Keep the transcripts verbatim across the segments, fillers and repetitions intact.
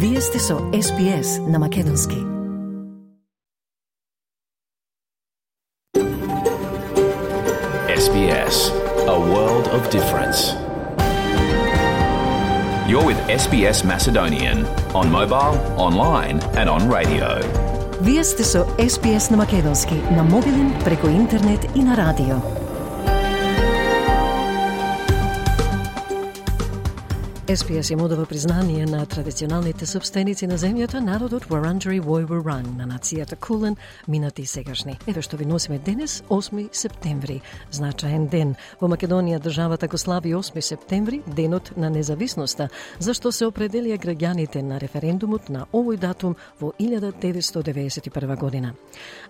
Вие сте со Ес Би Ес на македонски. Ес Би Ес, a world of difference. You're with Ес Би Ес Macedonian on mobile, online and on radio. Вие сте со Ес Би Ес на македонски, на мобилен, преку интернет и на радио. Ес Би Ес им одава признание на традиционалните собственици на земјата, народот Wurundjeri Woi Wurrung, на нацијата Кулен, минати и сегашни. Еве што ви носиме денес, осми септември, значаен ден. Во Македонија државата го слави осми септември, денот на независноста, зашто се определија граѓаните на референдумот на овој датум во илјада деветстотини деведесет и прва година.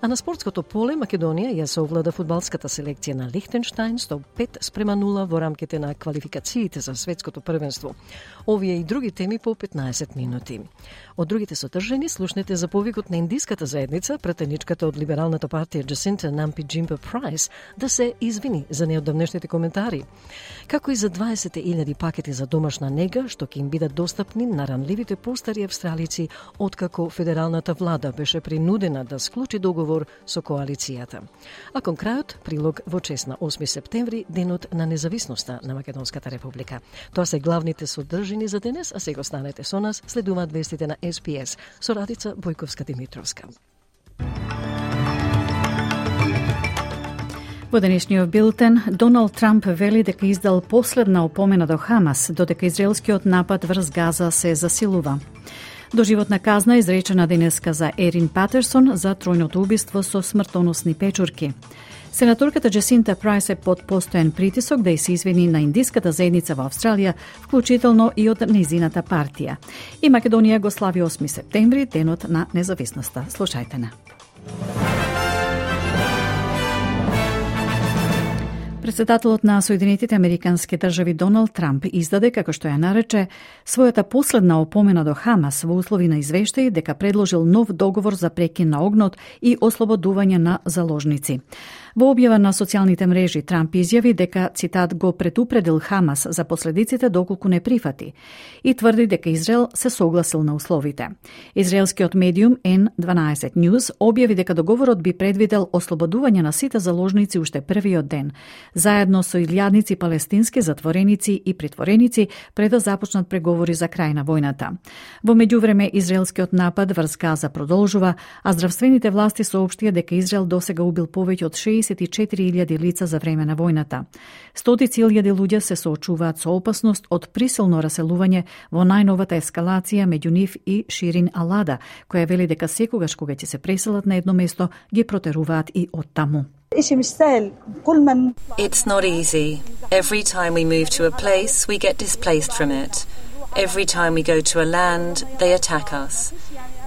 А на спортското поле Македонија ја совлада фудбалската селекција на Лихтенштајн со пет спрема нула во рамките на квалификациите за светското првенство. Овие и други теми по петнаесет минути. Од другите содржини слушнете за повикот на индиската заедница, претеничката од либералната партија Джасинта Нампи Джимпа Прайс да се извини за неодамнешните коментари. Како и за дваесет илјади пакети за домашна нега, што ќе им бидат достапни на ранливите постари австралици, откако федералната влада беше принудена да склучи договор со коалицијата. А кон крајот, прилог во чест на осми септември, денот на независноста на Македонската република. Тоа се главните содржини за денес, а сега останете со нас, следуваат вестите на Ес Би Ес со Радица Бојковска-Димитровска. Во денешниот билтен, Доналд Трамп вели дека издал последна опомена до Хамас, додека израелскиот напад врз Газа се засилува. Доживотна казна изречена денеска за Ерин Патерсон за тројното убиство со смртоносни печурки. Сенаторката Джасинта Прайс е под постојан притисок да се извини на индиската заедница во Австралија, вклучително и од незината партија. И Македонија го слави осми септември, денот на независноста. Слушајте на. Председателот на Соединетите Американски држави Доналд Трамп издаде, како што ја нарече, својата последна опомена до Хамас во услови на извештај дека предложил нов договор за прекин на огнот и ослободување на заложници. Во објава на социјалните мрежи Трамп изјави дека, цитат, го предупредил Хамас за последиците доколку не прифати и тврди дека Израел се согласил на условите. Израелскиот медиум Ен дванаесет News објави дека договорот би предвидел ослободување на сите заложници уште првиот ден, заедно со илјадници палестински затвореници и притвореници пред да започнат преговори за крај на војната. Во меѓувреме, израелскиот напад врз Газа продолжува, а здравствените власти соопштија дека Израел досега убил повеќе од шеесет и четири илјади лица за време на војната. Стотици илјади луѓе се соочуваат со опасност од присилно раселување во најновата ескалација меѓу нив и Ширин Алада, која вели дека секогаш кога ќе се преселат на едно место, ги протеруваат и оттаму. It's not easy. Every time we move to a place, we get displaced from it. Every time we go to a land, they attack us.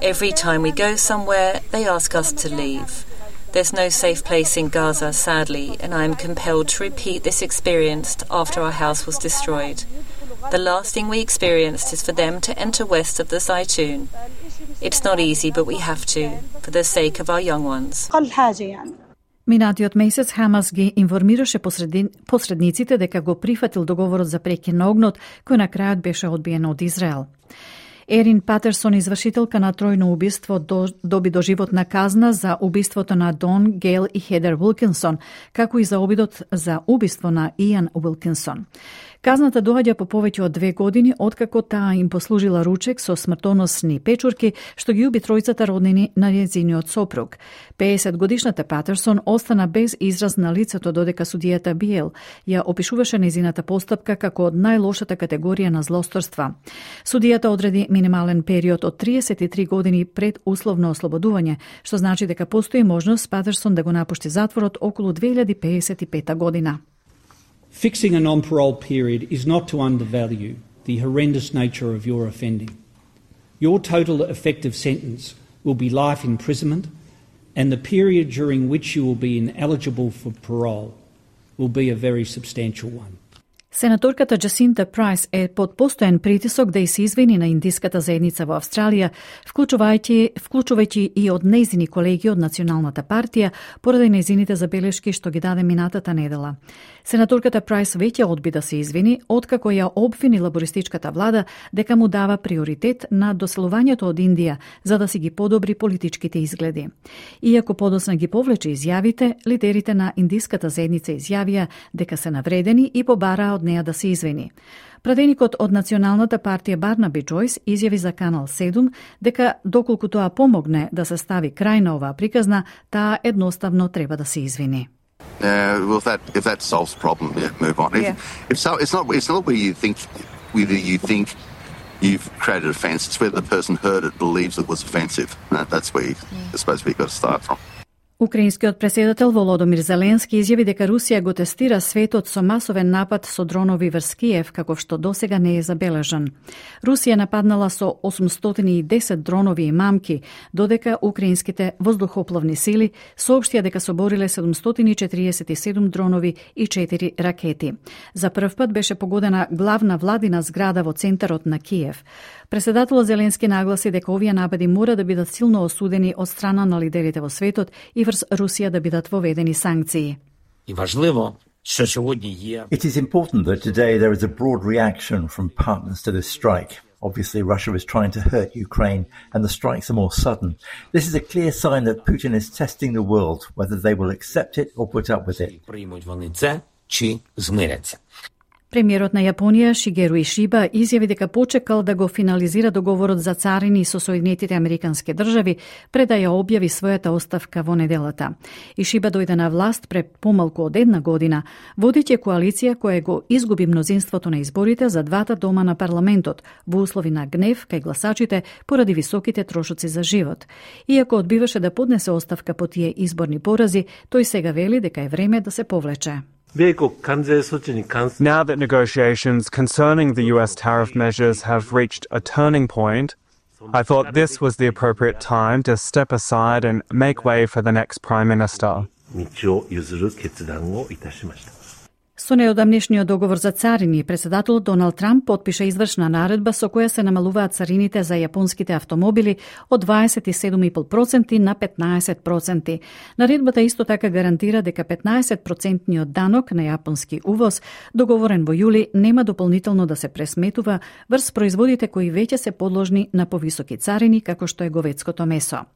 Every time we go somewhere, they ask us to leave. There's no safe place in Gaza, sadly, and I am compelled to repeat this experience after our house was destroyed. The last thing we experienced is for them to enter west of the Zaytun. It's not easy, but we have to, for the sake of our young ones. Минатиот месец Хамас ги информираше посредин, посредниците дека го прифатил договорот за прекин на огнот, кој на крајот беше одбиен од Израел. Ерин Патерсон, извршителка на тројно убиство, до, доби доживотна казна за убиството на Дон, Гейл и Хедер Уилкинсон, како и за обидот за убиство на Ијан Уилкинсон. Казната доаѓа по повеќе од две години, откако таа им послужила ручек со смртоносни печурки, што ги уби тројцата роднини на нејзиниот сопруг. пеесет годишната Патерсон остана без израз на лицето, додека судијата Биел ја опишуваше нејзината постапка како од најлошата категорија на злосторства. Судијата одреди минимален период од триесет и три години пред условно ослободување, што значи дека постои можност Патерсон да го напушти затворот околу две илјади пеесет и пета година. Fixing a non-parole period is not to undervalue the horrendous nature of your offending. Your total effective sentence will be life imprisonment, and the period during which you will be ineligible for parole will be a very substantial one. Сенаторката Джасинта Прайс е под постојан притисок да и се извини на индиската заедница во Австралија, вклучувајќи, вклучувајќи и од нејзини колеги од Националната партија, поради нејзините забелешки што ги даде минатата недела. Сенаторката Прайс веќе одби да се извини, откако ја обвини лабористичката влада дека му дава приоритет на доселувањето од Индија за да си ги подобри политичките изгледи. Иако подоцна ги повлече изјавите, лидерите на индиската заедница изјавија дека се навредени и побараа од неа да се извини. Пратеникот од Националната партија Барнаби Джойс изјави за Канал седум дека доколку тоа помогне да се стави крај на оваа приказна, таа едноставно треба да се извини. Uh, well, if that if that solves the problem, yeah, move on. Yeah. If, if so, it's not it's not where you think whether you think you've created offence. It's whether the person heard it believes it was offensive. Uh, that's where you, I suppose we got to start from. Украинскиот преседател Володомир Зеленски изјави дека Русија го тестира светот со масовен напад со дронови врз Киев, каков што досега не е забележан. Русија нападнала со осумстотини и десет дронови и мамки, додека украинските воздухоплавни сили соопштија дека собориле седумстотини четириесет и седум дронови и четири ракети. За прв пат беше погодена главна владина зграда во центарот на Киев. Преседателот Зеленски нагласи дека овие напади мора да бидат силно осудени од страна на лидерите во светот и врз Русија да бидат воведени санкции. И важливо што сьогодні є. It is important that today there is a broad reaction from partners to this strike. Obviously, Russia is trying to hurt Ukraine, and the strikes are more sudden. This is a clear sign that Putin is testing the world, whether they will accept it or put up with it. Приймуть вони це чи змиряться. Премиерот на Јапонија Шигеру Ишиба изјави дека почекал да го финализира договорот за царини со Соединетите Американски држави пред да ја објави својата оставка во неделата. Ишиба дојде на власт пред помалку од една година, водејќи коалиција која го изгуби мнозинството на изборите за двата дома на парламентот во услови на гнев кај гласачите поради високите трошоци за живот. Иако одбиваше да поднесе оставка по тие изборни порази, тој сега вели дека е време да се повлече. Now that negotiations concerning the U S tariff measures have reached a turning point, I thought this was the appropriate time to step aside and make way for the next Prime Minister. Со неодамнешниот договор за царини, преседателот Доналд Трамп потпиша извршна наредба со која се намалуваат царините за јапонските автомобили од дваесет и седум и пол проценти на петнаесет проценти. Наредбата исто така гарантира дека петнаесет процентниот данок на јапонски увоз, договорен во јули, нема дополнително да се пресметува врз производите кои веќе се подложни на повисоки царини, како што е говедското месо.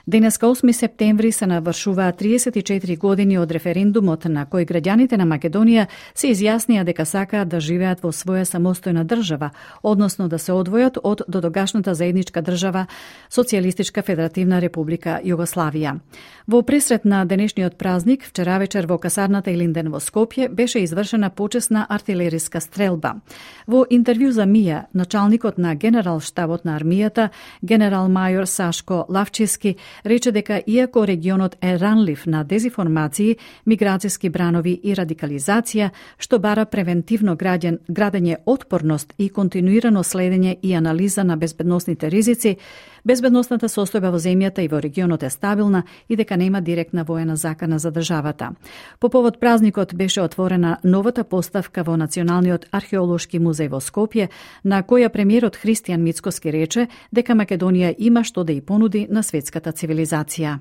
Денеска осми септември се навршуваат триесет и четири години од референдумот на кој граѓаните на Македонија се изјаснија дека сакаат да живеат во своја самостојна држава, односно да се одвојат од додогашната заедничка држава Социјалистичка Федеративна Република Југославија. Во пресрет на денешниот празник, вчера вечер во касарната Илинден во Скопје беше извршена почесна артилериска стрелба. Во интервју за МИА, началникот на генерал штабот на армијата, генерал мајор Сашко Лавчевски, рече дека иако регионот е ранлив на дезинформации, миграцијски бранови и радикализација, што бара превентивно граден, градење отпорност и континуирано следење и анализа на безбедносните ризици, безбедносната состојба во земјата и во регионот е стабилна и дека нема директна воена закана за државата. По повод празникот беше отворена новата поставка во Националниот археолошки музеј во Скопје, на која премиерот Христијан Мицкоски рече дека Македонија има што да и понуди на светската цивилизација.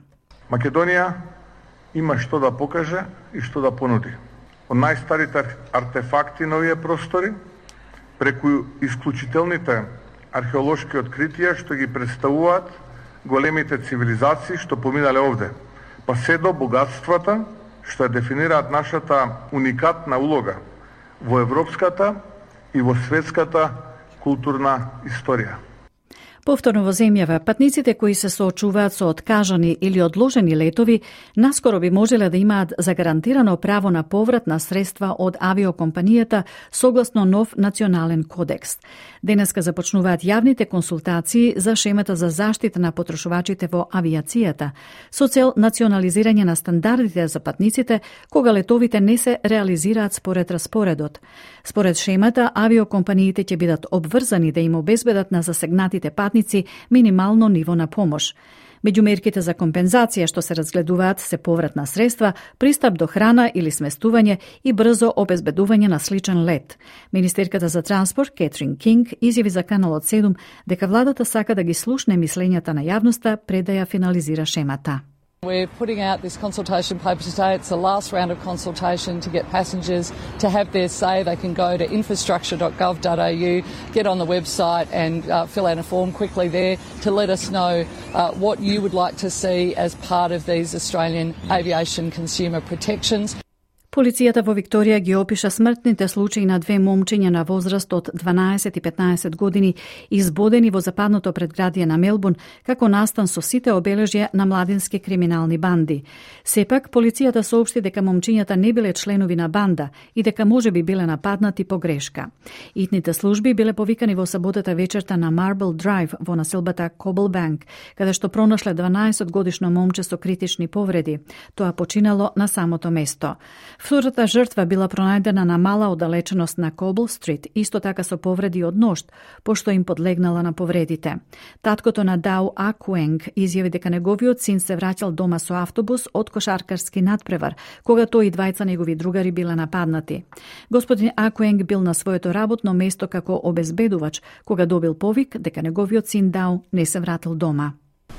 Македонија има што да покаже и што да понуди. Од најстарите артефакти на овие простори, преку исклучителните археолошки откритија што ги представуваат големите цивилизации што поминале овде, па се до богатствата што ја дефинираат нашата уникатна улога во европската и во светската културна историја. Повторно во земјава, патниците кои се соочуваат со откажани или одложени летови, наскоро би можеле да имаат загарантирано право на поврат на средства од авиокомпанијата согласно нов национален кодекс. Денеска започнуваат јавните консултации за шемата за заштита на потрошувачите во авиацијата, со цел национализирање на стандардите за патниците кога летовите не се реализираат според распоредот. Според шемата, авиокомпаниите ќе бидат обврзани да им обезбедат на засегнатите патници минимално ниво на помош. Меѓу мерките за компензација што се разгледуваат се повратна средства, пристап до храна или сместување и брзо обезбедување на сличен лет. Министерката за транспорт Кетрин Кинг изјави за Каналот седум дека владата сака да ги слушне мислењата на јавноста пред да ја финализира шемата. We're putting out this consultation paper today. It's the last round of consultation to get passengers to have their say. They can go to infrastructure dot gov dot a u, get on the website and uh, fill out a form quickly there to let us know uh, what you would like to see as part of these Australian aviation consumer protections. Полицијата во Викторија ги опиша смртните случаи на две момчиња на возраст од дванаесет и петнаесет години избодени во западното предградие на Мелбурн како настан со сите обележја на младински криминални банди. Сепак, полицијата соопшти дека момчињата не биле членови на банда и дека можеби биле нападнати по грешка. Итните служби биле повикани во саботата вечерта на Marble Drive во населбата Cobblebank, каде што пронашле дванаесет годишно момче со критични повреди. Тоа починало на самото место. Втората жртва била пронајдена на мала оддалеченост на Cobble Street, исто така со повреди од ношт, пошто им подлегнала на повредите. Таткото на Дау Акуенг изјави дека неговиот син се враќал дома со автобус од кошаркарски надпревар, кога тој и двајца негови другари биле нападнати. Господин Акуенг бил на своето работно место како обезбедувач, кога добил повик дека неговиот син Дау не се вратил дома.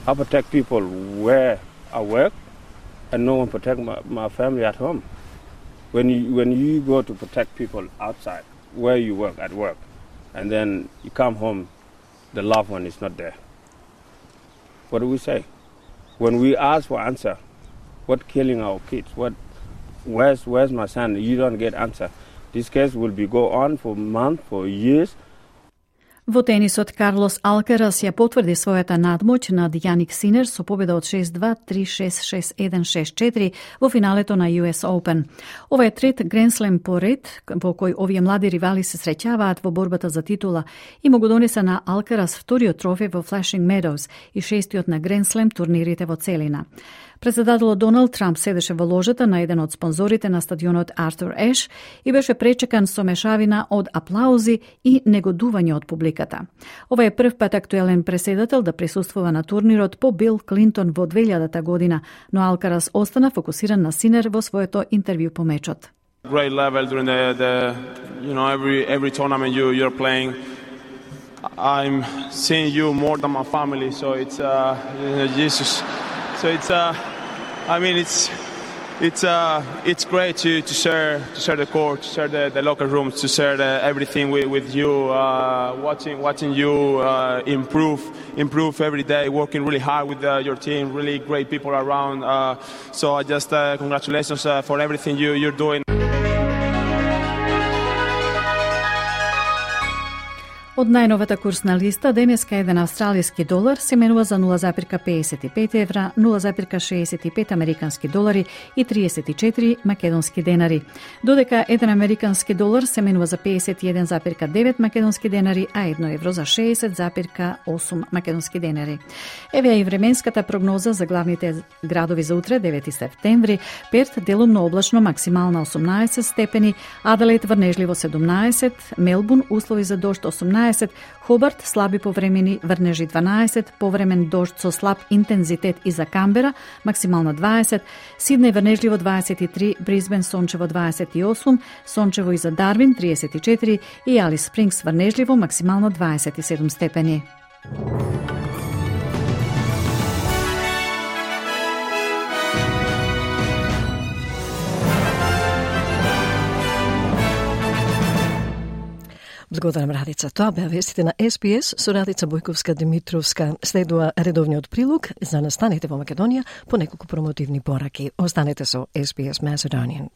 I protect people where I work and no one protect my, my family at home. When you, when you go to protect people outside, where you work, at work, and then you come home, the loved one is not there. What do we say? When we ask for answer, what killing our kids, what, where's, where's my son, you don't get answer. This case will be go on for months, for years. Во тенисот, Карлос Алкарас ја потврди својата надмоќ над Јаник Синер со победа од шест два, три шест, шест еден, шест четири во финалето на Ю Ес Open. Ова е трет Гренслем по ред во кој овие млади ривали се среќаваат во борбата за титула и му го донесе на Алкарас вториот трофеј во Flushing Meadows и шестиот на Гренслем турнирите во целина. Председателот Доналд Трамп седеше во ложата на еден од спонзорите на стадионот Артур Еш и беше пречекан со мешавина од аплаузи и негодување од публиката. Ова е прв пат актуелен преседател да присуствува на турнирот по Бил Клинтон во две илјадата година, но Алкарас остана фокусиран на Синер во своето интервју по мечот. Great level during the, the you know every every tournament you you're playing. I'm seeing you more than my family, so it's uh you know, Jesus. So it's uh I mean it's it's uh it's great to to share to share the court, to share the, the locker rooms, to share the, everything with, with you, uh, watching watching you uh, improve improve every day, working really hard with uh, your team, really great people around. Uh, so I just uh, congratulations uh, for everything you you're doing. Од најновата курсна листа, денеска еден австралиски долар се менува за нула запирка педесет и пет евра, нула запирка шеесет и пет американски долари и триесет и четири македонски денари. Додека еден американски долар се менува за педесет и еден запирка девет македонски денари, а едно евро за шеесет запирка осум македонски денари. Еве и временската прогноза за главните градови за утре, девети септември. Перт делумно облачно, максимална осумнаесет степени, Аделаид врнежливо седумнаесет, Мелбурн услови за дожд осумнаесет, Хобарт слаби повремени врнежи дванаесет, повремен дожд со слаб интензитет и за Камбера, максимална дваесет, Сиднеј врнежливо дваесет и три, Брисбен сончево дваесет и осум, сончево и за Дарвин триесет и четири и Алис Спрингс врнежливо, максимално дваесет и седум степени. Благодарам, Радица. Тоа беа вестите на Ес Би Ес со Радица Бојковска-Димитровска. Следува редовниот прилог за настаните во Македонија по неколку промотивни пораки. Останете со Ес Би Ес Macedonian.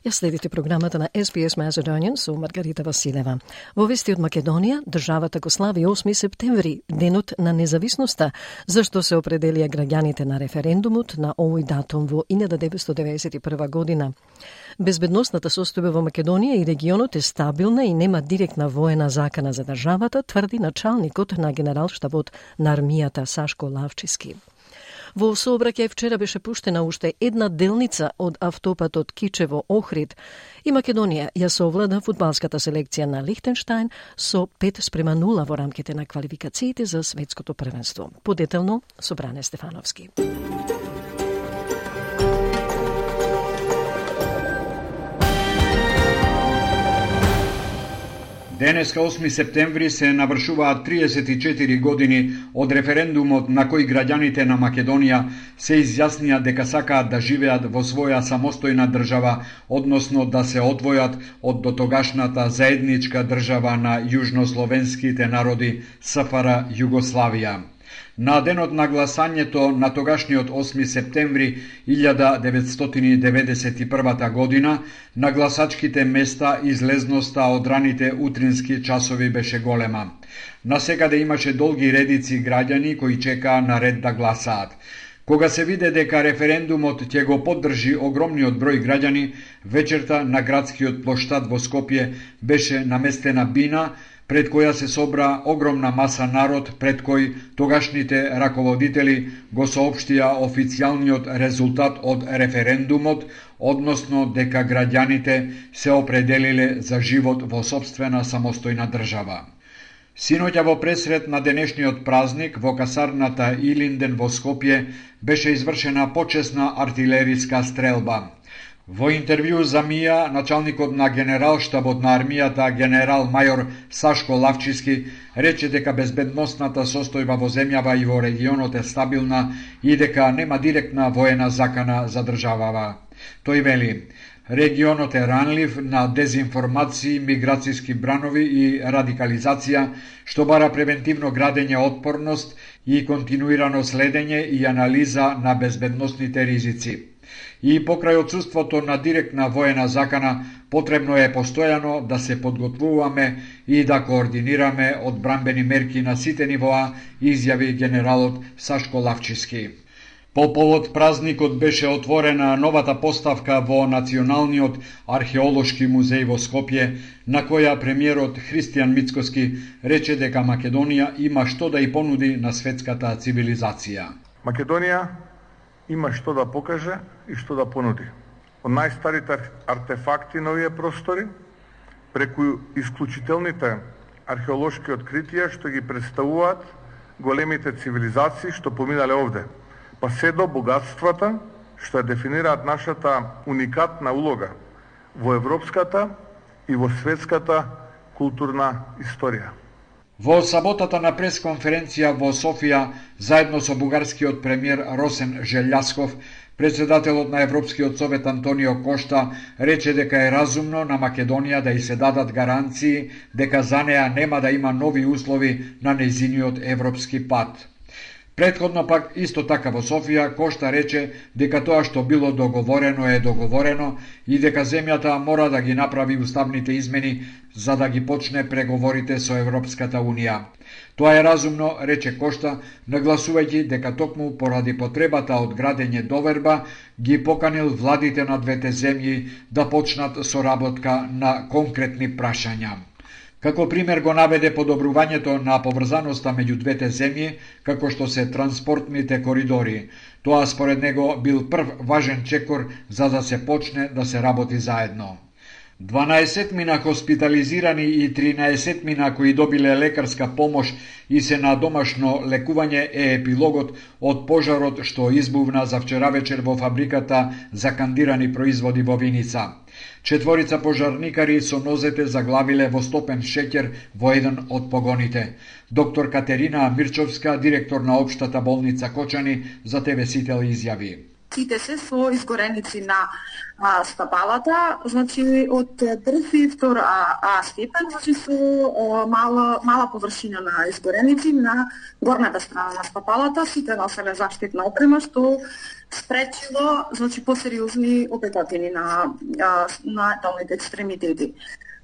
Ја следите програмата на Ес Би Ес Macedonian со Маргарита Василева. Во вести од Македонија, државата го слави осми септември, денот на независноста, зашто се определија граѓаните на референдумот на овој датум во илјада деветстотини деветдесет и прва година. Безбедносната состојба во Македонија и регионот е стабилна и нема директна воена закана за државата, тврди началникот на генералштабот на армијата Сашко Лавчиски. Во сообраќај вчера беше пуштена уште една делница од автопатот Кичево-Охрид и Македонија ја совлада фудбалската селекција на Лихтенштајн со пет спрема нула во рамките на квалификациите за светското првенство. Подетелно со Бране Стефановски. Денеска осми септември се навршуваат триесет и четири години од референдумот на кој граѓаните на Македонија се изјаснија дека сакаат да живеат во своја самостојна држава, односно да се одвојат од дотогашната заедничка држава на јужнословенските народи С Ф Р Југославија. На денот на гласањето на тогашниот осми септември илјада деветстотини деветдесет и прва година на гласачките места излезноста од раните утрински часови беше голема. Насекаде имаше долги редици граѓани кои чекаа на ред да гласаат. Кога се виде дека референдумот ќе го поддржи огромниот број граѓани, вечерта на градскиот плоштад во Скопје беше наместена бина пред која се собра огромна маса народ, пред кој тогашните раководители го соопштија официјалниот резултат од референдумот, односно дека граѓаните се определиле за живот во сопствена самостојна држава. Синоќа во пресрет на денешниот празник во касарната Илинден во Скопје беше извршена почесна артилериска стрелба. Во интервју за МИА, началникот на генералштабот на армијата, генерал мајор Сашко Лавчиски, рече дека безбедносната состојба во земјава и во регионот е стабилна и дека нема директна воена закана за државава. Тој вели: регионот е ранлив на дезинформации, миграцијски бранови и радикализација, што бара превентивно градење отпорност и континуирано следење и анализа на безбедносните ризици. И покрај отсуството на директна воена закана, потребно е постојано да се подготвуваме и да координираме одбранбени мерки на сите нивоа, изјави генералот Сашко Лавчиски. По повод празникот беше отворена новата поставка во Националниот археолошки музеј во Скопје, на која премиерот Христијан Мицкоски рече дека Македонија има што да и понуди на светската цивилизација. Македонија има што да покаже и што да понуди. Од најстарите артефакти на овие простори, преку исклучителните археолошки откритија што ги представуваат големите цивилизации што поминале овде, па се до богатствата што ја дефинираат нашата уникатна улога во европската и во светската културна историја. Во саботата на пресконференција во Софија, заедно со бугарскиот премиер Росен Желјасков, председателот на Европскиот совет Антонио Кошта рече дека е разумно на Македонија да и се дадат гаранции дека за неа нема да има нови услови на нејзиниот европски пат. Претходно пак, исто така во Софија, Кошта рече дека тоа што било договорено е договорено и дека земјата мора да ги направи уставните измени за да ги почне преговорите со Европската Унија. Тоа е разумно, рече Кошта, нагласувајќи дека токму поради потребата од градење доверба ги поканил владите на двете земји да почнат соработка на конкретни прашања. Како пример го наведе подобрувањето на поврзаноста меѓу двете земји, како што се транспортните коридори. Тоа според него бил прв важен чекор за да се почне да се работи заедно. дванаесет мина хоспитализирани и тринаесет мина кои добиле лекарска помош и се на домашно лекување е епилогот од пожарот што избувна за вчера вечер во фабриката за кандирани производи во Виница. Четворица пожарникари со нозете заглавиле во стопен шеќер во еден од погоните. Доктор Катерина Мирчовска, директор на Општата болница Кочани, за Те Ве Сител изјави: Сите се со изгореници на а, стапалата, значи од први, втор а, а степен, значи со а, мала, мала површина на изгореници на горната страна на стапалата, сите носеле заштитна опрема, што спречило, значи, посериозни опекотини на, а, на долните екстремитети.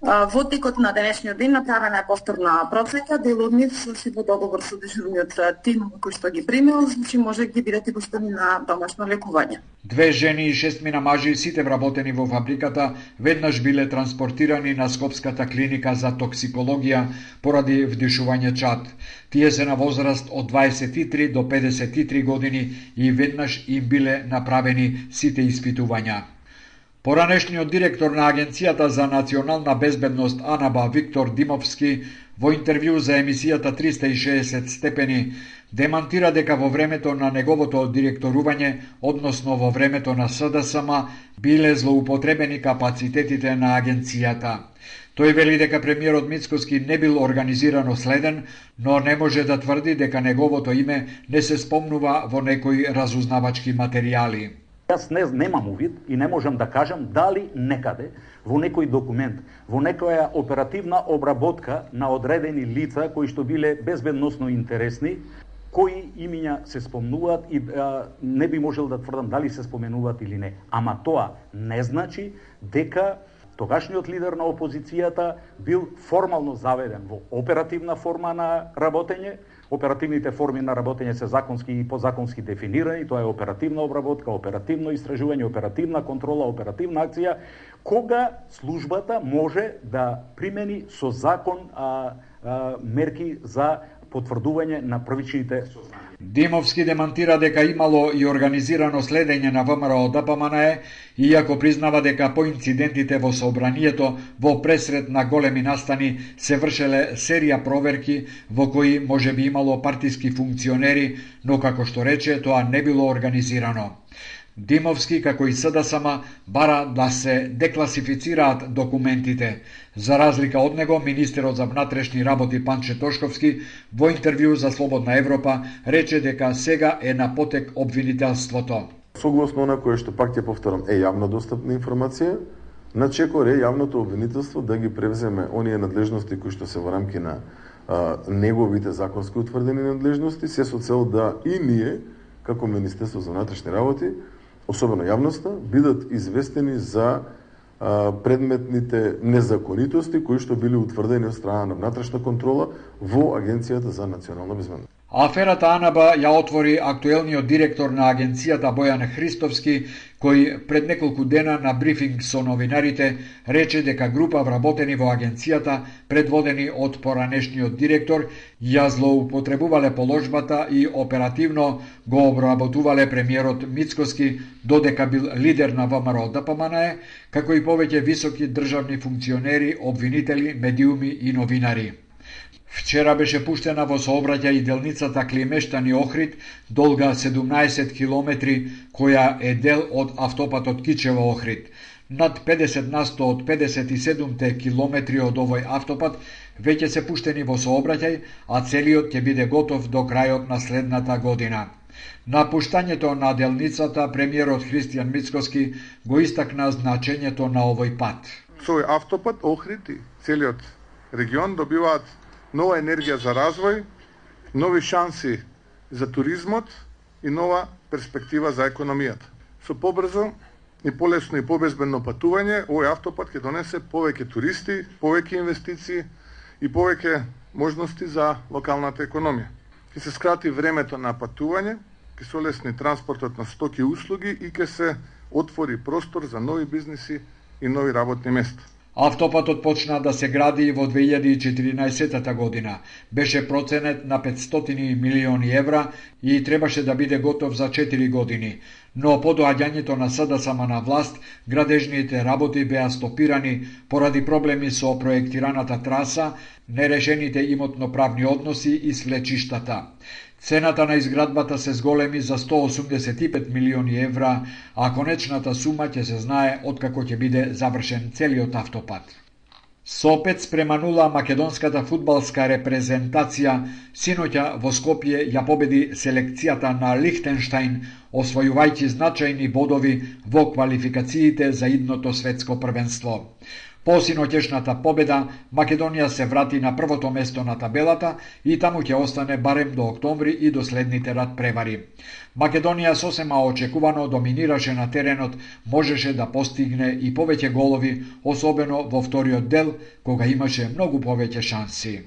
Во текот на денешниот ден направена е повторна процека, дел од нив си во договор со дежурниот тим кој што ги примил, значи може ги бидат и пуштени на домашно лекување. Две жени и шестмина мажи, сите вработени во фабриката, веднаш биле транспортирани на Скопската клиника за токсикологија поради вдишување чад. Тие се на возраст од дваесет и три до педесет и три години и веднаш им биле направени сите испитувања. Поранешниот директор на Агенцијата за национална безбедност АНАБА Виктор Димовски во интервју за емисијата триста и шеесет степени демантира дека во времето на неговото директорување, односно во времето на СДСМ, биле злоупотребени капацитетите на агенцијата. Тој вели дека премиерот Мицкоски не бил организирано следен, но не може да тврди дека неговото име не се спомнува во некои разузнавачки материјали. Јас не, немам увид и не можам да кажам дали некаде во некој документ, во некоја оперативна обработка на одредени лица кои што биле безбедносно интересни, кои имиња се спомнуваат и а, не би можел да тврдам дали се споменуваат или не. Ама тоа не значи дека тогашниот лидер на опозицијата бил формално заведен во оперативна форма на работење. Оперативните форми на работење се законски и подзаконски дефинирани, тоа е оперативна обработка, оперативно истражување, оперативна контрола, оперативна акција, кога службата може да примени со закон а, а, мерки за потврдување на првичните сознанија. Димовски демантира дека имало и организирано следење на ВМРО Д П М Н Е, иако признава дека по инцидентите во сообранието во пресред на големи настани се вршеле серија проверки во кои може би имало партиски функционери, но како што рече, тоа не било организирано. Димовски, како и С Д С М, бара да се декласифицираат документите. За разлика од него, министерот за внатрешни работи Панче Тошковски во интервју за Слободна Европа рече дека сега е на потек обвинителството. Согласно на кое што пак ќе повторам е јавно достапна информација, на чекор е јавното обвинителство да ги превземе оние надлежности кои што се во рамки на а, неговите законски утврдени надлежности, се со цел да и ние, како Министерство за внатрешни работи, особено јавноста, бидат известени за а, предметните незаконитости кои што били утврдени од страна на внатрешна контрола во Агенцијата за национална безбедност. Аферата АНБ ја отвори актуелниот директор на агенцијата Бојан Христовски, кој пред неколку дена на брифинг со новинарите рече дека група вработени во агенцијата, предводени од поранешниот директор, ја злоупотребувале положбата и оперативно го обработувале премиерот Мицкоски, додека бил лидер на ВМРО Д П М Н Е, како и повеќе високи државни функционери, обвинители, медиуми и новинари. Вчера беше пуштена во сообраќај делницата Климештани Охрид, долга седумнаесет километри, која е дел од автопатот Кичево Охрид. Над педесет на сто од педесет и седумте километри од овој автопат веќе се пуштени во сообраќај, а целиот ќе биде готов до крајот на следната година. На пуштањето на делницата, премиерот Христијан Мицкоски го истакна значењето на овој пат. Со овој автопат Охрид и целиот регион добиваат нова енергија за развој, нови шанси за туризмот и нова перспектива за економијата. Со побрзо и полесно и побезбедно патување, овој автопат ќе донесе повеќе туристи, повеќе инвестиции и повеќе можности за локалната економија. Ќе се скрати времето на патување, ќе се олесни транспортот на стоки и услуги и ќе се отвори простор за нови бизниси и нови работни места. Автопатот почна да се гради во две илјади и четиринаесетта година. Беше проценет на петстотини милиони евра и требаше да биде готов за четири години. Но по доаѓањето на С Д С М на власт, градежните работи беа стопирани поради проблеми со проектираната траса, нерешените имотно-правни односи и свлечиштата. Цената на изградбата се зголеми за сто осумдесет и пет милиони евра, а конечната сума ќе се знае откако ќе биде завршен целиот автопат. Со пет спрема нула македонската фудбалска репрезентација синоќа во Скопје ја победи селекцијата на Лихтенштајн, освојувајќи значајни бодови во квалификациите за идното светско првенство. По синоќешната победа, Македонија се врати на првото место на табелата и таму ќе остане барем до октомври и до следните надпревари. Македонија сосема очекувано доминираше на теренот, можеше да постигне и повеќе голови, особено во вториот дел, кога имаше многу повеќе шанси.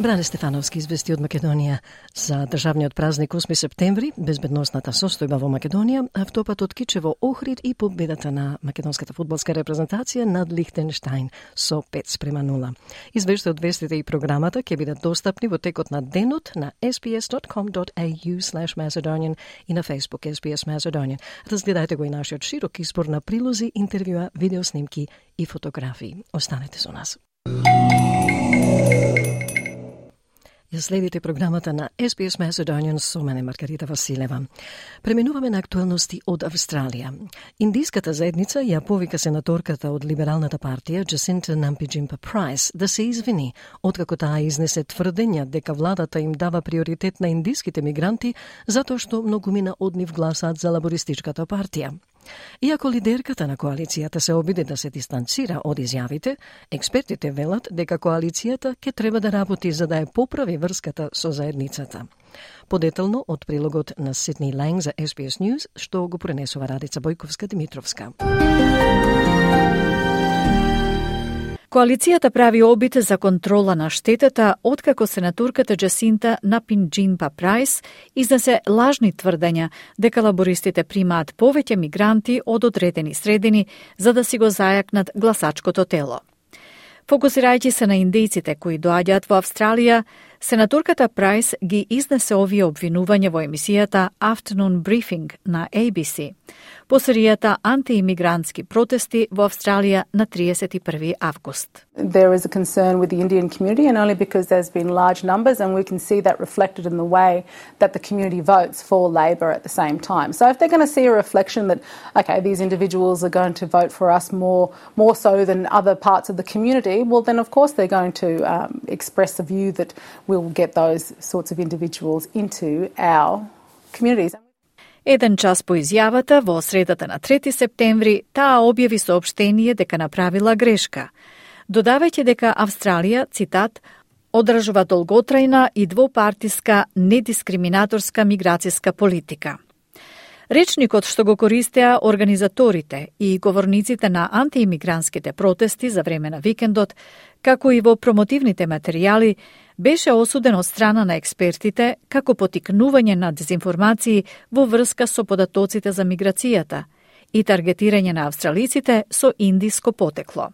Бране Стефановски извести од Македонија за државниот празник осми септември, безбедносната состојба во Македонија, автопатот Кичево Охрид и победата на македонската фудбалска репрезентација над Лихтенштајн со пет спрема нула. Извештајот, вестите и програмата ќе бидат достапни во текот на денот на ес би ес дот ком дот ей ю слеш Macedonian и на Facebook ес би ес Macedonian. Разгледајте го и нашиот широк избор на прилози, интервјуа, видеоснимки и фотографии. Останете со нас. Ја следите програмата на Ес Би Ес Macedonian со мене Маргарита Василева. Преминуваме на актуелности од Австралија. Индиската заедница ја повика сенаторката од Либералната партија Джасинта Нампи-Джимпа Прайс да се извини, откако таа изнесе тврдења дека владата им дава приоритет на индиските мигранти затоа што многумина од нив гласаат за лабористичката партија. Иако лидерката на коалицијата се обиде да се дистанцира од изјавите, експертите велат дека коалицијата ќе треба да работи за да ја поправи врската со заедницата. Подетално од прилогот на Сидни Ланг за Ес Би Ес News, што го пренесува Радица Бојковска-Димитровска. Коалицијата прави обид за контрола на штетата откако сенаторката Джасинта Нампи-Джимпа Прайс изнесе лажни тврдења дека лабористите примаат повеќе мигранти од одредени средини за да си го зајакнат гласачкото тело. Фокусирајќи се на индијците кои доаѓаат во Австралија, сенаторката Прайс ги изнесе овие обвинувања во емисијата Afternoon Briefing на A B C по серијата антиимигрантски протести во Австралија на тридесет и први август. There is a concern with the Indian community, and only because there's been large numbers, and we can see that reflected in the way that the community votes for Labor at the same time. So if they're going to see a reflection that, okay, these individuals are going to vote for us more, more so than other parts of the community, well, then of course they're going to um, express a view that we'll get those sorts of individuals into our communities. Еден час по изјавата, во средата на трети септември, таа објави соопштение дека направила грешка, додавајќи дека Австралија, цитат, одржува долготрајна и двопартиска недискриминаторска миграцијска политика. Речникот што го користеа организаторите и говорниците на антиимигрантските протести за време на викендот, како и во промотивните материјали, беше осуден од страна на експертите како потикнување на дезинформации во врска со податоците за миграцијата и таргетирање на австралиците со индиско потекло.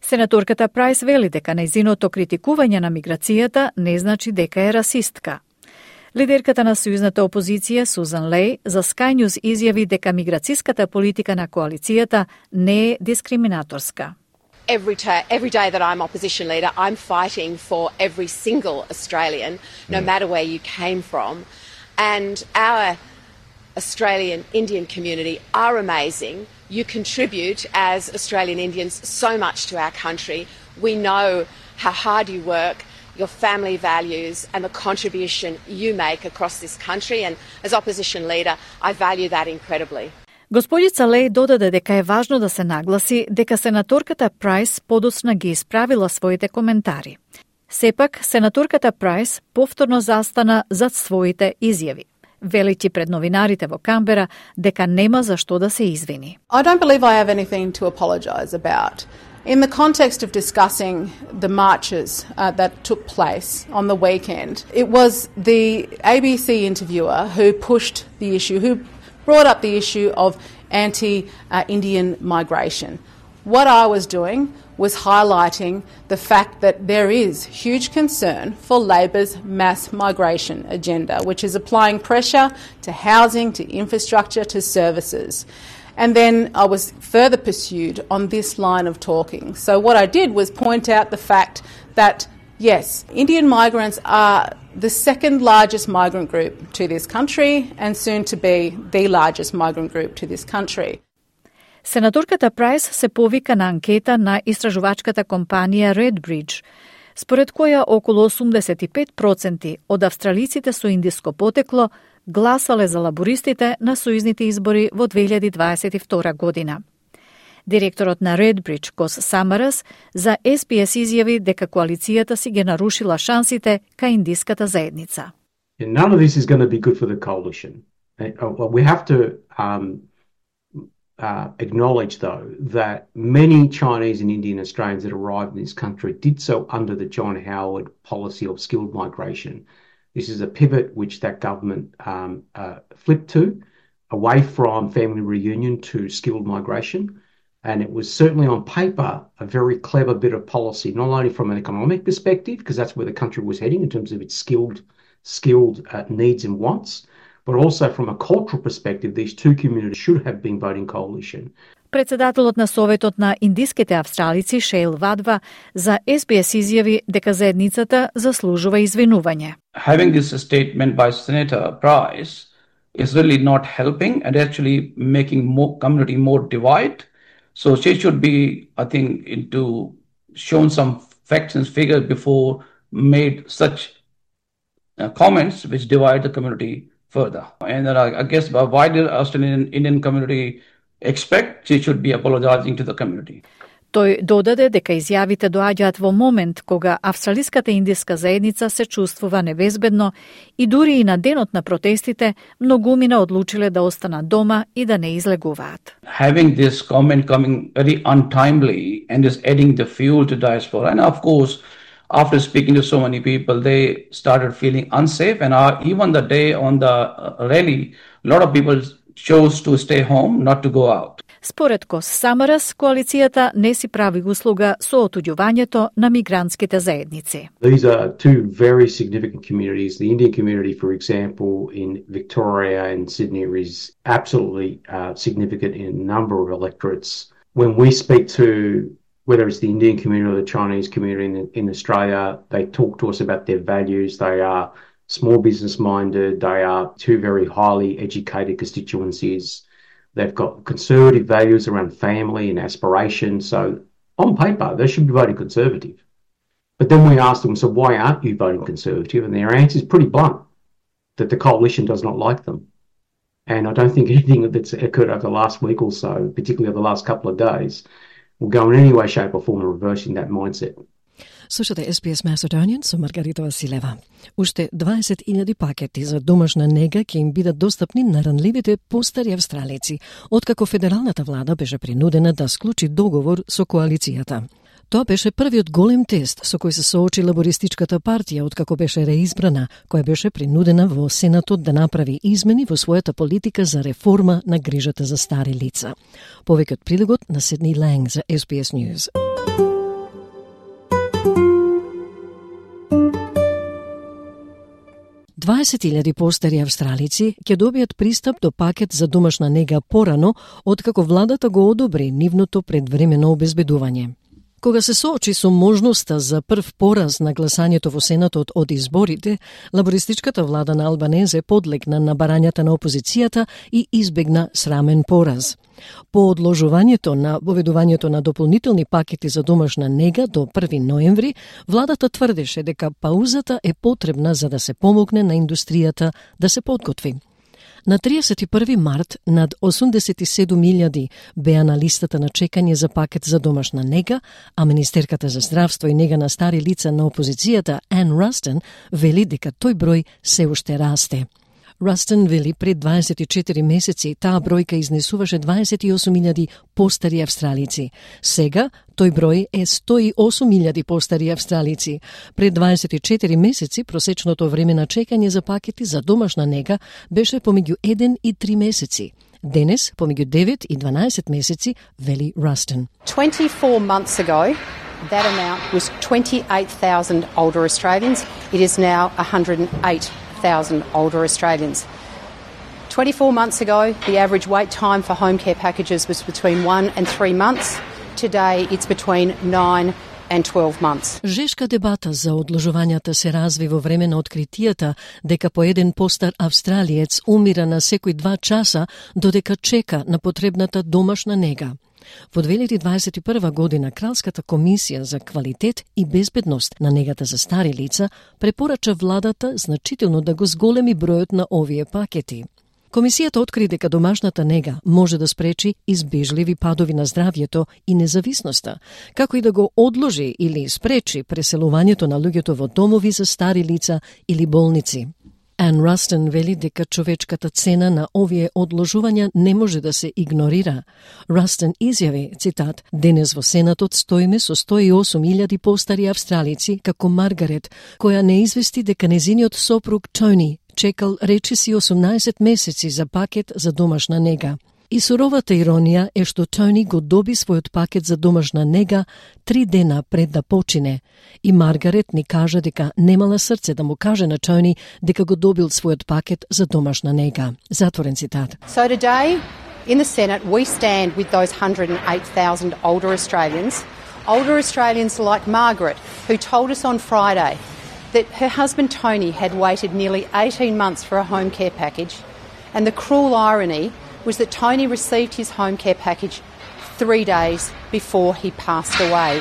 Сенаторката Прайс вели дека нејзиното критикување на миграцијата не значи дека е расистка. Лидерката на сојузната опозиција Сузан Леј за Sky News изјави дека миграцијската политика на коалицијата не е дискриминаторска. Every, ta- every day that I'm opposition leader, I'm fighting for every single Australian, no matter where you came from. And our Australian Indian community are amazing. You contribute as Australian Indians so much to our country. We know how hard you work, your family values and the contribution you make across this country. And as opposition leader, I value that incredibly. Господица Леј додаде дека е важно да се нагласи дека сенаторката Прайс подоцна ги исправила своите коментари. Сепак, сенаторката Прайс повторно застана зад своите изјави, велики пред новинарите во Камбера дека нема за што да се извини. I don't believe I have anything to apologise about. In the context of discussing the marches uh, that took place on the weekend, it was the A B C interviewer who pushed the issue, who brought up the issue of anti-Indian uh, migration. What I was doing was highlighting the fact that there is huge concern for Labor's mass migration agenda, which is applying pressure to housing, to infrastructure, to services. And then I was further pursued on this line of talking. So what I did was point out the fact that, yes, Indian migrants are the second largest migrant group to this country and soon to be the largest migrant group to this country. Сенаторката Прайс се повика на анкета на истражувачката компанија Redbridge, според која околу осумдесет и пет проценти од австралиците со индиско потекло гласале за лабористите на сојузните избори во две илјади дваесет и втора година. Директорот на Redbridge, Кос Самарас, за Ес Би Ес изјави дека коалицијата си ги нарушила шансите кај индиската заедница. None of this is going to be good for the coalition. We have to um, uh, acknowledge, though, that many Chinese and Indian Australians that arrived in this country did so under the John Howard policy of skilled migration. This is a pivot which that government um, uh, flipped to, away from family reunion to skilled migration. And it was certainly on paper a very clever bit of policy, not only from an economic perspective, because that's where the country was heading in terms of its skilled, skilled uh, needs and wants, but also from a cultural perspective, these two communities should have been voting coalition. Председателот на Советот на индиските австралици Шейл Вадва за Ес Би Ес изјави дека заедницата заслужува извинување. Having this statement by Senator Price is really not helping and actually making more community more divided. So she should be, I think, into shown some facts and figures before made such uh, comments which divide the community further. And uh, I guess uh, why did Australian Indian community expect she should be apologizing to the community? Тој додаде дека изјавите доаѓаат во момент кога австралиската индиска заедница се чувствува небезбедно и дури и на денот на протестите многумина одлучиле да останат дома и да не излегуваат. Having this comment coming very untimely and is adding the fuel to diaspora, and of course after speaking to so many people they started feeling unsafe, and uh, even the day on the uh, rally a lot of people chose to stay home, not to go out. Според Кос Самарас, коалицијата не си прави услуга со отуѓувањето на мигрантските заедници. These are two very significant communities. The Indian community, for example, in Victoria and Sydney is absolutely uh, significant in a number of electorates. When we speak to whether it's the Indian community or the Chinese community in, in Australia, they talk to us about their values. They are small business minded. They are two very highly educated constituencies. They've got conservative values around family and aspiration. So on paper, they should be voting Conservative. But then we ask them, so why aren't you voting Conservative? And their answer is pretty blunt, that the coalition does not like them. And I don't think anything that's occurred over the last week or so, particularly over the last couple of days, will go in any way, shape or form in reversing that mindset. Слушате Ес Би Ес Macedonian со Маргарита Василева. Уште дваесет илјади пакети за домашна нега ќе им бидат достапни на ранливите постари австралици, откако федералната влада беше принудена да склучи договор со коалицијата. Тоа беше првиот голем тест со кој се соочи лабористичката партија откако беше реизбрана, која беше принудена во Сенатот да направи измени во својата политика за реформа на грижата за стари лица. Повеќе од прилогот на Сидни Ланг за Ес Би Ес News. дваесет илјади постари австралици ќе добијат пристап до пакет за домашна нега порано, откако владата го одобри нивното предвремено обезбедување. Кога се соочи со можноста за прв пораз на гласањето во Сенатот од изборите, лабористичката влада на Албанезе подлегна на барањата на опозицијата и избегна срамен пораз. По одложувањето на воведувањето на дополнителни пакети за домашна нега до први ноември, владата тврдеше дека паузата е потребна за да се помогне на индустријата да се подготви. На триесет и први март над осумдесет и седум илјади беа на листата на чекање за пакет за домашна нега, а Министерката за здравство и нега на стари лица на опозицијата Ан Растен вели дека тој број се уште расте. Растен вели пред дваесет и четири месеци таа бројка изнесуваше дваесет и осум илјади постари австралици. Сега тој број е сто и осум илјади постари австралици. Пред дваесет и четири месеци просечното време на чекање за пакети за домашна нега беше помеѓу еден и три месеци. Денес помеѓу девет и дванаесет месеци, вели Растен. twenty-four months ago, that amount was twenty-eight thousand older Australians. It is now one hundred eight thousand older Australians. twenty-four months ago, the average wait time for home care packages was between one and three months. Today, it's between nine and twelve months. Жешка дебата за одложувањата се разви во време на откритијата дека по еден постар австралиец умира на секој два часа додека чека на потребната домашна нега. Во две илјади дваесет и прва година Кралската комисија за квалитет и безбедност на негата за стари лица препорача владата значително да го зголеми бројот на овие пакети. Комисијата откри дека домашната нега може да спречи избежливи падови на здравјето и независноста, како и да го одложи или спречи преселувањето на луѓето во домови за стари лица или болници. Ан Растен вели дека човечката цена на овие одложувања не може да се игнорира. Растен изјави, цитат, денес во Сенатот стоиме со сто и осум илјади постари австралици, како Маргарет, која не извести дека незиниот сопруг Тони чекал речиси осумнаесет месеци за пакет за домашна нега. И суровата иронија е што Тони го доби својот пакет за домашна нега три дена пред да почине. И Маргарет ни кажа дека немала срце да му каже на Тони дека го добил својот пакет за домашна нега. Затворен цитат. So today, In the Senate, we stand with those one hundred eight thousand older Australians, older Australians like Margaret, who told us on Friday that her husband Tony had waited nearly eighteen months for a home care package, and the cruel irony was that Tony received his home care package three days before he passed away.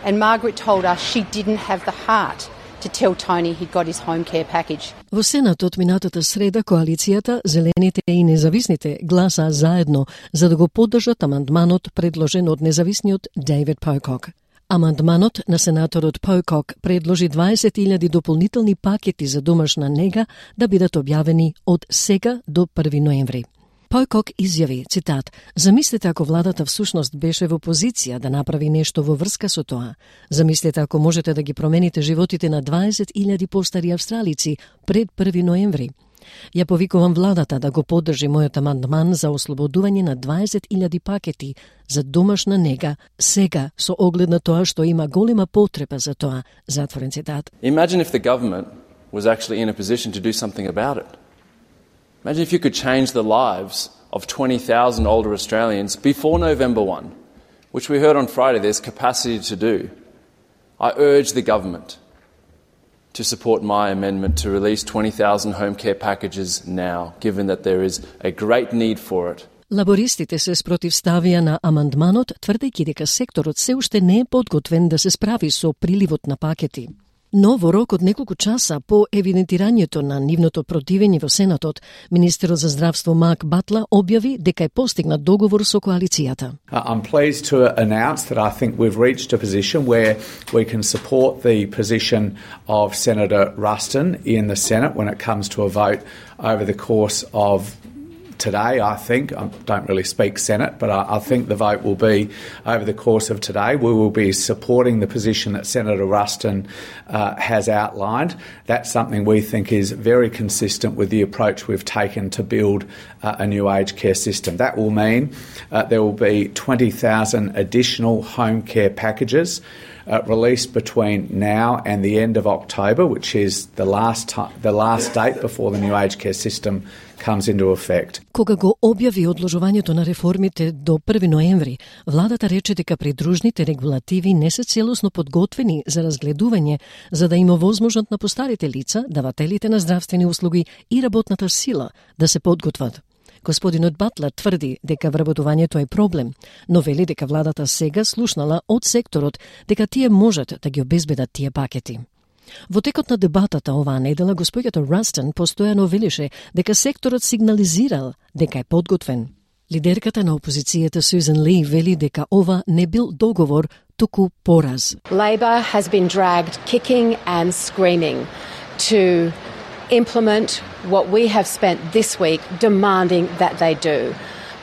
And Margaret told us she didn't have the heart to tell Tony he'd got his home care package. Во Сенатот минатата среда коалицијата, Зелените и Независните гласаа заедно за да го поддржат амандманот предложен од независниот Дейвид Поукок. Амандманот на сенаторот Поукок предложи дваесет илјади дополнителни пакети за домашна нега да бидат објавени од сега до први ноември. Поукок изјави, цитат, замислете ако владата всушност беше во позиција да направи нешто во врска со тоа. Замислете ако можете да ги промените животите на дваесет илјади постари австралици пред први ноември. Ја повикувам владата да го поддржи мојот амандман за ослободување на дваесет илјади пакети за домашна нега сега со оглед на тоа што има голема потреба за тоа, затворен цитат. Imagine if the government was actually in a position to do something about it. Imagine if you could change the lives of twenty thousand older Australians before November first, which we heard on Friday there's capacity to do. I urge the government to support my amendment to release twenty thousand home care packages now, given that there is a great need for it. Лабористите се спротивставија на амандманот, тврдејќи дека секторот се уште не е подготвен да се справи со приливот на пакети. Но во рок од неколку часа по евидентирањето на нивното противење во Сенатот, министерот за здравство Марк Батлер објави дека е постигнат договор со коалицијата. I'm pleased to announce that I think we've reached a position where we can support the position of Senator Ruston in the Senate when it comes to a vote over the course of today, I think. I don't really speak Senate, but I, I think the vote will be over the course of today. We will be supporting the position that Senator Ruston uh, has outlined. That's something we think is very consistent with the approach we've taken to build uh, a new aged care system. That will mean uh, there will be twenty thousand additional home care packages uh, released between now and the end of October, which is the last time, the last date before the new aged care system comes into effect. Кога го објави одложувањето на реформите до први ноември, владата рече дека придружните регулативи не се целосно подготвени за разгледување, за да има возможност на постарите лица, давателите на здравствени услуги и работната сила да се подготват. Господинот Батлер тврди дека вработувањето е проблем, но вели дека владата сега слушнала од секторот дека тие можат да ги обезбедат тие пакети. Во текот на дебатата оваа недела, господјата Растон постојано велише дека секторот сигнализирал дека е подготвен. Лидерката на опозицијата Сюзан Ли вели дека ова не бил договор, туку пораз. Labor has been dragged kicking and screaming to implement what we have spent this week demanding that they do.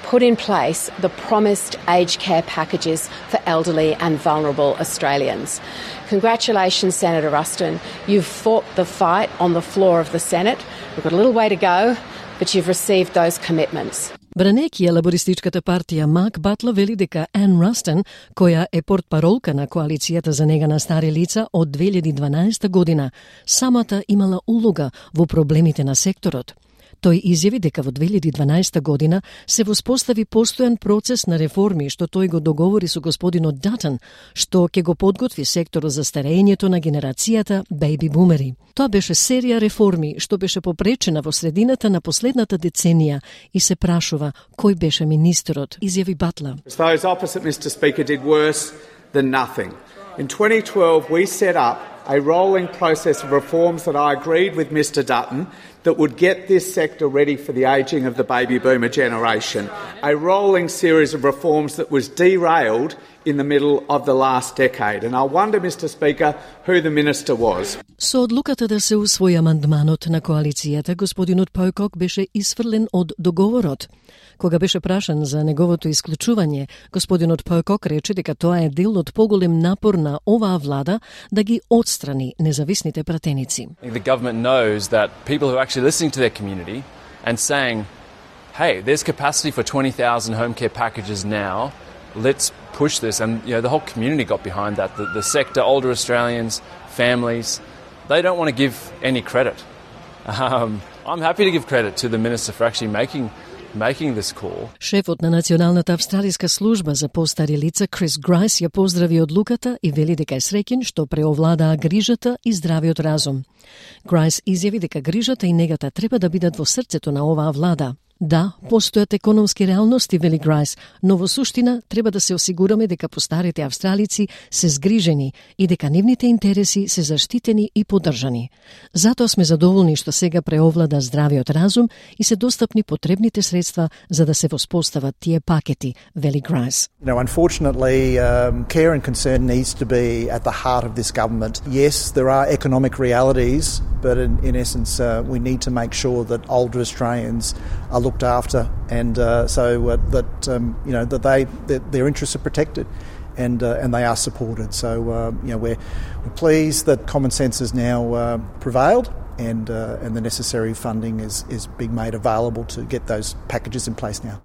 Put in place the promised aged care packages for elderly and vulnerable Australians. Congratulations, Senator Ruston. You've fought the fight on the floor of the Senate. We've got a little way to go, but you've received those commitments. Бранејќи ја лабористичката партија, Марк Батлер вели дека Ан Растон, која е портпаролка на коалицијата за нега на стари лица од две илјади и дванаесета година, самата имала улога во проблемите на секторот. Тој изјави дека во две илјади и дванаесета година се воспостави постојан процес на реформи што тој го договори со господинот Датон, што ќе го подготви секторот за старењето на генерацијата бејби бумери. Тоа беше серија реформи што беше попречена во средината на последната деценија и се прашува кој беше министерот, изјави Батлер. Those opposite, Mister Speaker, did worse than nothing. In twenty twelve, we set up a rolling process of reforms that I agreed with Mister Dutton that would get this sector ready for the ageing of the baby boomer generation. A rolling series of reforms that was derailed in the middle of the last decade. And I wonder, Mister Speaker, who the minister was. Со одлуката да се усвои амандманот на коалицијата, господинот Поукок беше исфрлен од договорот. Кога беше прашан за неговото исклучување, господинот Поукок рече дека тоа е дел од поголем напор на оваа влада да ги отстрани независните пратеници. The government knows that people who are actually listening to their community and saying, hey, there's capacity for twenty thousand home care packages now, let's push this. And you know, the whole community got behind that. The, the sector, older Australians, families, they don't want to give any credit. Um, I'm happy to give credit to the Minister for actually making making this call. Шефот на Националната австралиска служба за постари лица Крис Грайс ја поздрави одлуката и вели дека е среќен што преовладаа грижата и здравиот разум. Грайс изјави дека грижата и негата треба да бидат во срцето на оваа влада. Да, постојат економски реалности, вели Грайс, но во суштина треба да се осигураме дека постарите австралици се згрижени и дека нивните интереси се заштитени и поддржани. Затоа сме задоволни што сега преовлада здравиот разум и се достапни потребните средства за да се воспостават тие пакети, вели Грайс. Now, unfortunately, um, care and concern needs to be at the heart of this government. Yes, there are economic realities, but in, in essence, uh, we need to make sure that older Australians are looked after, and uh, so uh, that um, you know that they that their interests are protected, and uh, and they are supported. So uh, you know we're we're pleased that common sense has now uh, prevailed, and uh, and the necessary funding is is being made available to get those packages in place now.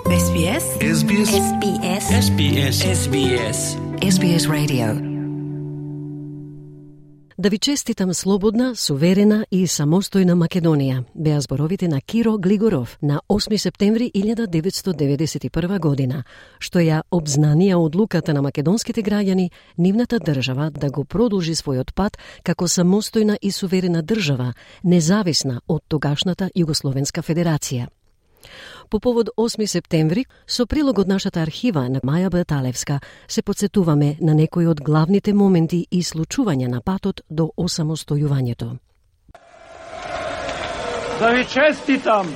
S B S S B S S B S S B S S B S S B S Radio. Да ви честитам слободна, суверена и самостојна Македонија, беа зборовите на Киро Глигоров на осми септември илјада деветстотини деветдесет и прва година, што ја обзнанија одлуката на македонските граѓани нивната држава да го продолжи својот пат како самостојна и суверена држава, независна од тогашната Југословенска федерација. По повод осми септември, со прилог од нашата архива на Маја Баталевска, се подсетуваме на некои од главните моменти и случувања на патот до осамостојувањето. Да ви честитам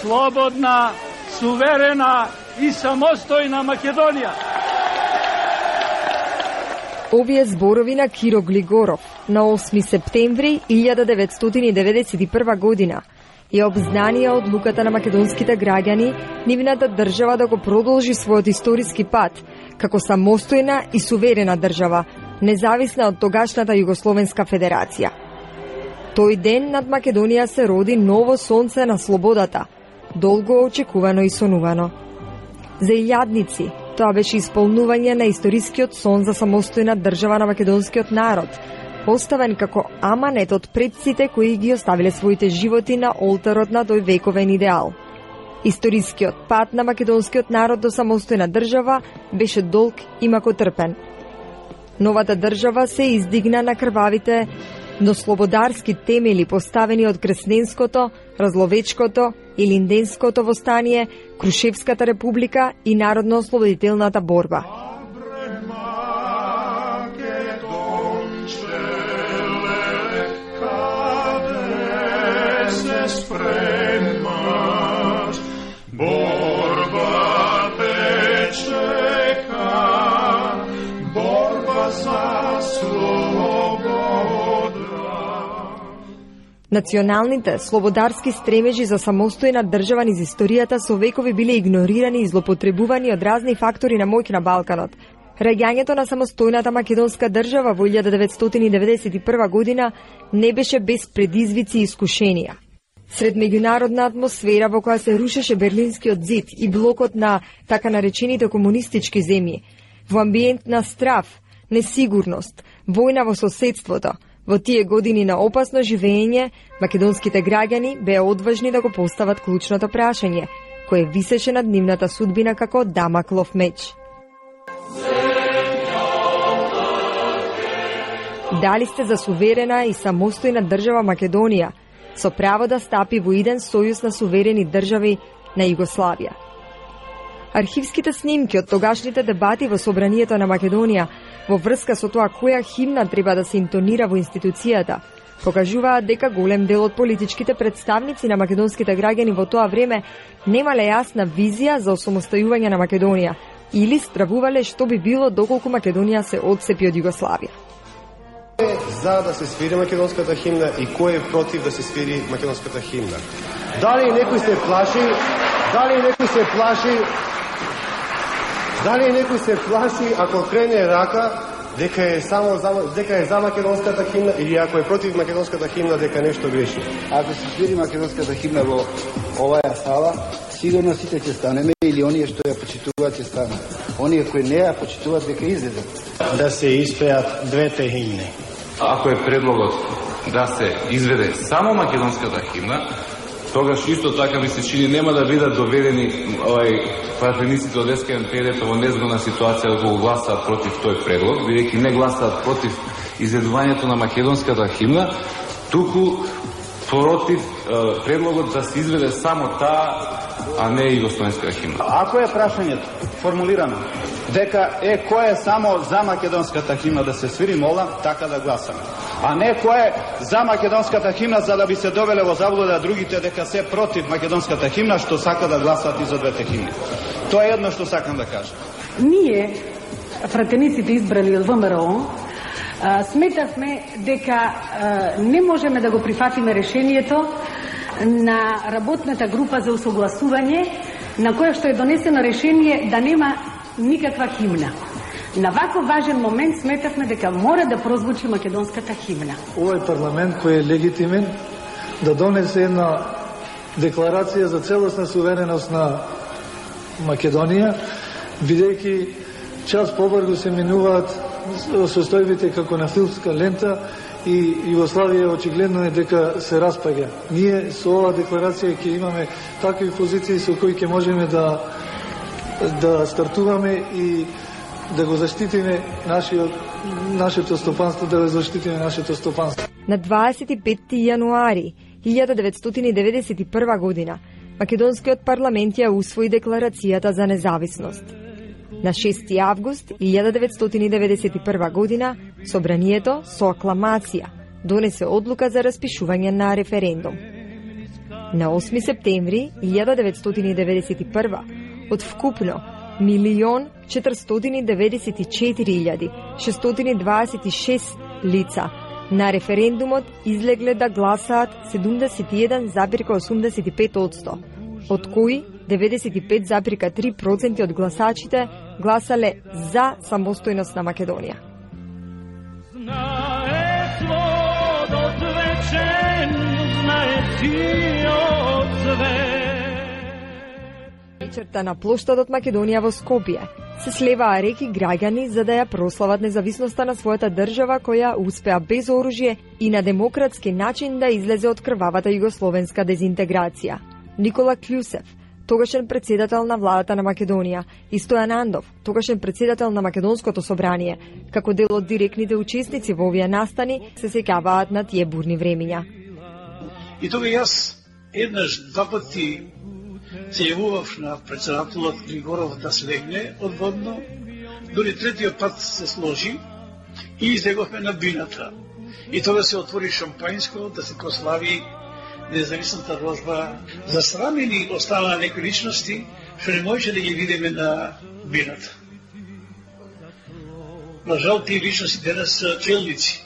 слободна, суверена и самостојна Македонија. Овие зборови на Киро Глигоров на осми септември илјада деветстотини деветдесет и прва година ја обзнанија одлуката на македонските граѓани нивната држава да го продолжи својот историски пат како самостојна и суверена држава, независна од тогашната Југословенска федерација. Тој ден над Македонија се роди ново сонце на слободата, долго очекувано и сонувано. За илјадници тоа беше исполнување на историскиот сон за самостојна држава на македонскиот народ, поставен како аманет од предците кои ги оставиле своите животи на олтарот на тој вековен идеал. Историскиот пат на македонскиот народ до самостојна држава беше долг и макотрпен. Новата држава се издигна на крвавите, но слободарски темели поставени од Кресненското, Разловечкото и Линденското востание, Крушевската република и народно-ослободителната борба. Националните слободарски стремежи за самостојна држава низ историјата со векови биле игнорирани и злопотребувани од разни фактори на моќ на Балканот. Раѓањето на самостојната македонска држава во илјада деветстотини деветдесет и прва година не беше без предизвици и искушенија. Сред меѓународна атмосфера во која се рушеше Берлинскиот зид и блокот на така наречените комунистички земји, во амбиент на страв, несигурност, војна во соседството, во тие години на опасно живење, македонските граѓани беа одважни да го постават клучното прашање, кое висеше над нивната судбина како Дамаклов меч. Дали сте за суверена и самостојна држава Македонија, со право да стапи во иден сојуз на суверени држави на Југославија. Архивските снимки од тогашните дебати во Собранието на Македонија во врска со тоа која химна треба да се интонира во институцијата, покажуваат дека голем дел од политичките представници на македонските граѓани во тоа време немале јасна визија за осамостојување на Македонија или стравувале што би било доколку Македонија се одцепи од Југославија. За да се свири македонската химна и кој е против да се свири македонската химна? Дали некој се плаши? Дали некој се плаши? Дали некој се плаши ако крене рака дека е само за, дека е за македонската химна или ако е против македонската химна дека нешто греши? Ако се свири македонската химна во оваа сала, сигурно сите ќе станеме или оние што ја почитуваат ќе станат. Оние кои не ја почитуваат дека излезат. Да се испеат двете химни. Ако е предлогот да се изведе само македонската химна, тогаш исто така ми се чини нема да бидат доведени овај пратениците од Ес Ке Ем Пе Д во незгодна ситуација да го гласаат против тој предлог, бидејќи не гласаат против изведувањето на македонската химна, туку против е, предлогот да се изведе само таа, а не и југословенската химна. Ако е прашањето формулирано дека е кој е само за македонската химна да се свири, молам така да гласаме. А не кој е за македонската химна за да би се довеле во заблуда другите дека се против македонската химна што сака да гласат и за двете химни. Тоа е едно што сакам да кажам. Ние, пратениците избрани од Вэ Ем Р О, сметавме дека не можеме да го прифатиме решението на работната група за усогласување, на која што е донесено решение да нема никаква химна. На вако важен момент сметавме дека мора да прозвучи македонската химна. Овој парламент кој е легитимен да донесе една декларација за целосна сувереност на Македонија, бидејќи час побрзо се минуваат состојбите како на филмска лента и Југославија очигледно е дека се распаѓа. Ние со оваа декларација ќе имаме такви позиции со кои ќе можеме да да стартуваме и да го заштитиме нашиот нашето стопанство, да го заштитиме нашето стопанство. На дваесет и петти јануари илјада деветстотини и деветдесет и прва година Македонскиот парламент ја усвои декларацијата за независност. На шести август илјада деветстотини и деветдесет и прва година собранието со акламација донесе одлука за распишување на референдум. На осми септември илјада деветстотини и деветдесет и прва од вкупно милион четиристотини деветдесет и четири илјади шестстотини дваесет и шест лица на референдумот излегле да гласаат седумдесет и еден запирка осумдесет и пет одсто, од кои деветдесет и пет запирка три проценти од гласачите гласале за самостојност на Македонија. Знае сводот вечен, знае сиот свет. Вечерта на плоштадот Македонија во Скопје се слеваа реки граѓани за да ја прослават независноста на својата држава која успеа без оружје и на демократски начин да излезе од крвавата југословенска дезинтеграција. Никола Клјусев, тогашен председател на владата на Македонија, и Стојан Андов, тогашен председател на Македонското собрание, како дел од директните учесници во овие настани, се сеќаваат на тие бурни времиња. И тога јас еднаш два пати се јавував на председателот Григоров да слегне одводно, дори третиот пат се сложи и излеговме на бината. И тога се отвори шампањско да се прослави независната рожба. Засрамени останаа некои личности што не можеше да ги видиме на бината. На жал, тие личности денес се челници.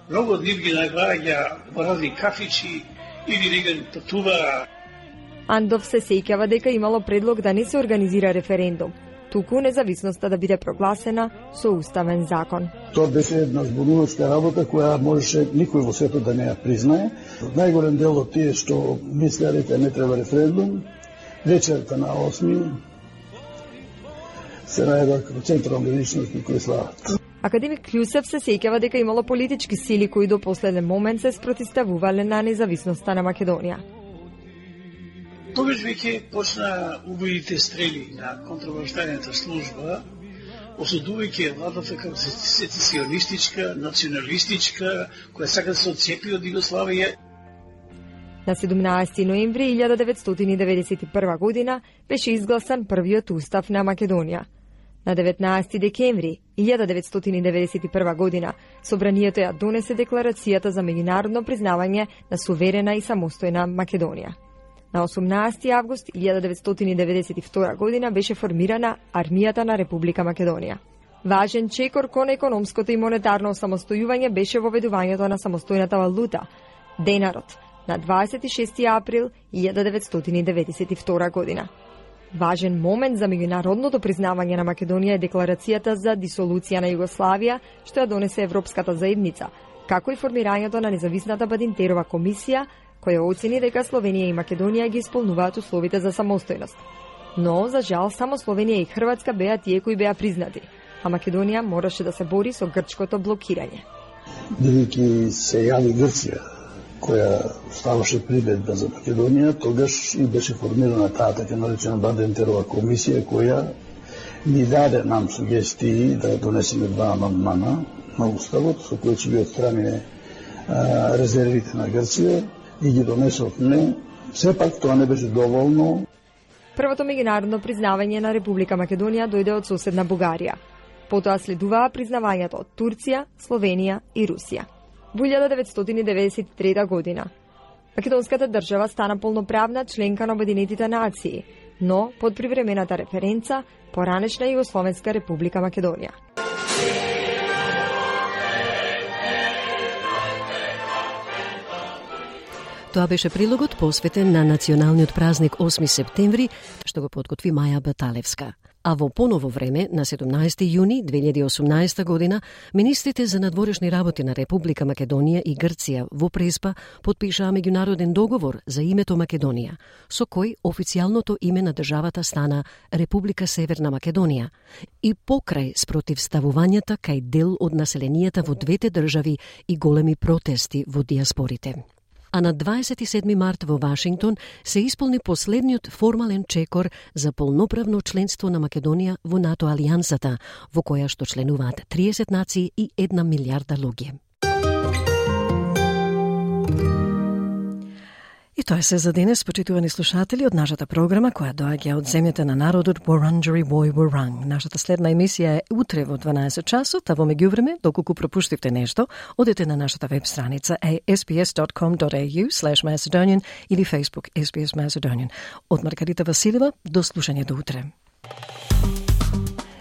Многу од нив ги наглаѓа разни кафичи или неган патува. Андов се сеќава дека имало предлог да не се организира референдум, туку независноста да биде прогласена со уставен закон. Тоа беше една збунувачка работа која можеше никој во светот да не ја признае. Најголем дел од тие што мислеа дека не треба референдум, вечерта на осми се најдоа како централни личности кои слават. Академик Клјусев се сеќава дека имало политички сили кои до последен момент се спротивставувале на независноста на Македонија. Тогаш веќе почна убавите стрели на контробаштајната служба, осудувајќи владата како сецесионистичка, националистичка, која сака да се отцепи од Југославија. На седумнаесети ноември илјада деветстотини и деветдесет и прва година беше изгласан првиот устав на Македонија. На деветнаесети декември илјада деветстотини и деветдесет и прва година собранието ја донесе декларацијата за меѓународно признавање на суверена и самостојна Македонија. На осумнаесети август илјада деветстотини и деветдесет и втора година беше формирана Армијата на Република Македонија. Важен чекор кон економското и монетарно самостојување беше воведувањето на самостојната валута, денарот, на дваесет и шести април илјада деветстотини и деветдесет и втора година. Важен момент за меѓународното признавање на Македонија е декларацијата за дисолуција на Југославија, што ја донесе Европската заедница, како и формирањето на независната Бадинтерова комисија, која оцени дека Словенија и Македонија ги исполнуваат условите за самостојност. Но, за жал, само Словенија и Хрватска беа тие кои беа признати, а Македонија мораше да се бори со грчкото блокирање. Бидејќи се јави Грција која ставаше прибедба за Македонија, тогаш и беше формирана таа така наречена Бадентерова комисија, која ни даде нам сугестии да донесеме два амандмана на Уставот, со кои ќе ги отстрани резервите на Грција и ги донесовме. Сепак тоа не беше доволно. Првото меѓународно признавање на Република Македонија дојде од соседна Бугарија. Потоа следуваа признавањето од Турција, Словенија и Русија. Во илјада деветстотини деветдесет и трета година македонската држава стана полноправна членка на Обединетите нации, но под привремената референца поранешна Југословенска Република Македонија. Тоа беше прилогот посветен на националниот празник осми септември, што го подготви Маја Баталевска. А во поново време, на седумнаесети јуни две илјади и осумнаесета година, министрите за надворешни работи на Република Македонија и Грција во Преспа подпишаа меѓународен договор за името Македонија, со кој официјалното име на државата стана Република Северна Македонија и покрај спротивставувањата кај дел од населенијата во двете држави и големи протести во диаспорите. А на дваесет и седми март во Вашингтон се исполни последниот формален чекор за полноправно членство на Македонија во НАТО алијансата, во која што членуваат триесет нации и една милиарда луѓе. И тоа е се за денес, почитувани слушатели, од нашата програма која доаѓа од земјата на народот Wurundjeri Woi Wurrung. Нашата следна емисија е утре во дванаесет часот, а во меѓувреме, доколку пропуштивте нешто, одете на нашата веб страница ес би ес дот ком дот ей ю слеш Macedonian или Facebook ес би ес Macedonian. Од Маргарита Василева, до слушање до утре.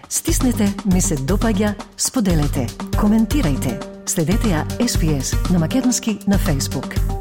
Стиснете, ми се допаѓа, споделете, коментирајте. Следете ја ес би ес на македонски на Facebook.